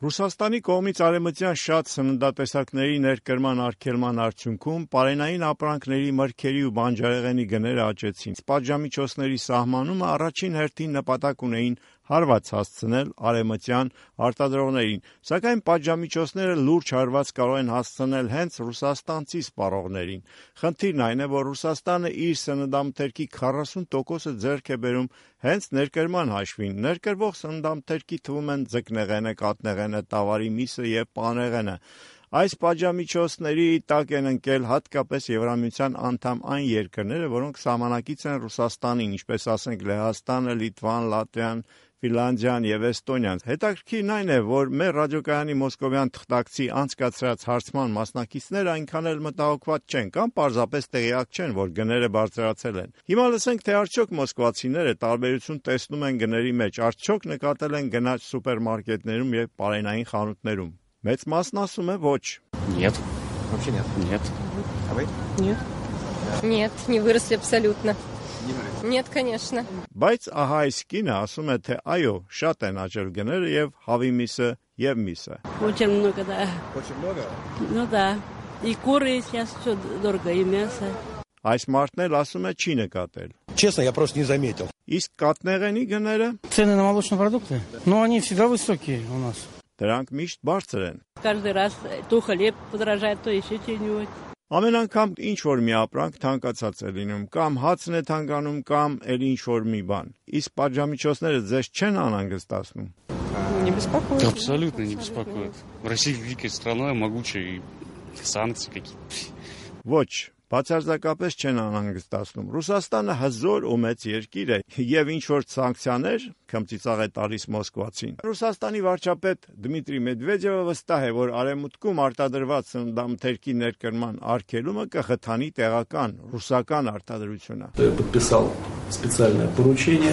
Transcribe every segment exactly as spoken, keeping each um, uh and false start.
Ռուսաստանի կողմից արևմտյան շատ սննդատեսակների ներկրման արգելման արդյունքում պարենային ապրանքների, մրգերի ու բանջարեղենի գները աճեցին։ Պատժամիջոցների սահմանումը առաջին հերթին նպատակ ունեին հարված հասցնել արևմտյան արտադրողներին, սակայն պատժամիջոցները լուրջ հարված կարող են հասցնել հենց ռուսաստանցի սպառողներին։ Խնդիրն այն է, որ Ռուսաստանը իր սննդամթերքի քառասուն տոկոսը ձեռք է բերում հենց ներկրման հաշվին։ Ներկրվող սննդամթերքի թվում են ձկնեղենը, կաթնեղենը, տավարի միսը և պանրեղենը։ Այս պատժամիջոցների տակ են ընկել հատկապես Եվրամիության անդամ այն երկրները, որոնք սահմանակից են Ռուսաստանին, ինչպես ասենք Լեհաստանը, Լիտվան, Լատվիան, Ֆինլանդիան և Էստոնիան։ Հետաքրքիրն այն է, որ մեր ռադիոկայանի մոսկովյան թղթակցի անցկացրած հարցման մասնակիցները այնքան էլ մտահոգված չեն կամ պարզապես տեղյակ չեն, որ գները բարձրացել են։ Հիմա լսենք, թե արդյոք մոսկվացիները տարբերություն տեսնում են գների մեջ, արդյոք նկատել են գնաճ սուպերմարկետներում և պարենային խանութներում։ Մեծ մասն ասում է ոչ։ Нет. Вообще нет. Нет. А вы? Нет. Нет, не выросли абсолютно. Нет, конечно. Բայց ահա այս կինը ասում է, թե այո, շատ են աճել գները և հավի միսը և միսը։ Очень много, да. Очень много? Ну да. И куры сейчас все дорого, и мясо. Այս մարդն էլ ասում է չի нկատել։ Честно, я просто не заметил. Իսկ կաթնեղենի գները? Цены на молочные продукты? Ну, они всегда высокие у нас. Դրանք միշտ բարձր են։ Каждый раз то хлеб подорожает, то еще что-нибудь. Ամեն անգամ ինչ-որ մի ապրանք թանկացած է լինում, կամ հացն է թանկանում, կամ էլ ինչ-որ մի բան։ Իսկ պատժամիջոցները ձեզ չեն անհանգստացնում։ Не беспокоит. Абсолютно не беспокоит. Россия великая страна, могучая, и санкции какие-то. Ոչ, բացարձակապես չեն անհանգստացնում։ Ռուսաստանը հզոր ու մեծ երկիր է, եւ ինչ-որ սանկցիաներ քմծիծաղ է տալիս Մոսկվացին։ Ռուսաստանի վարչապետ Դմիտրի Մեդվեդևը վստահ է, որ արևմուտքում արտադրված սննդամթերքի ներկրման արգելումը կխթանի տեղական ռուսական արտադրությունը։ Я подписал специальное поручение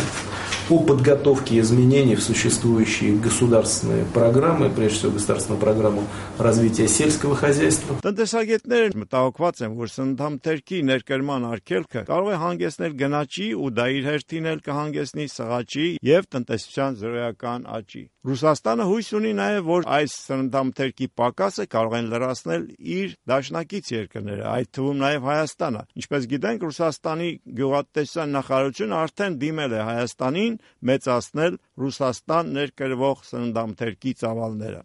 по подготовке изменений в существующие государственные программы, прежде всего государственную программу развития сельского хозяйства. Տնտեսագետները մտահոգված են, որ սննդամթերքի ներկրման արգելքը կարող է հանգեցնել գնաճի ու դա իր հերթին էլ կհանգեցնի սղաճի եւ տնտեսության զրոյական աճի։ Ռուսաստանը հույս ունի նաեւ, որ այս սննդամթերքի պակասը կարող են լրացնել իր դաշնակից երկրները, այդ թվում նաեւ Հայաստանը։ Ինչպես գիտենք, Ռուսաստանի գյուղատնտեսության նախարարությունը արդեն դիմել է Հայաստանին մեծացնել Ռուսաստան ներկրվող սննդամթերքի ծավալները։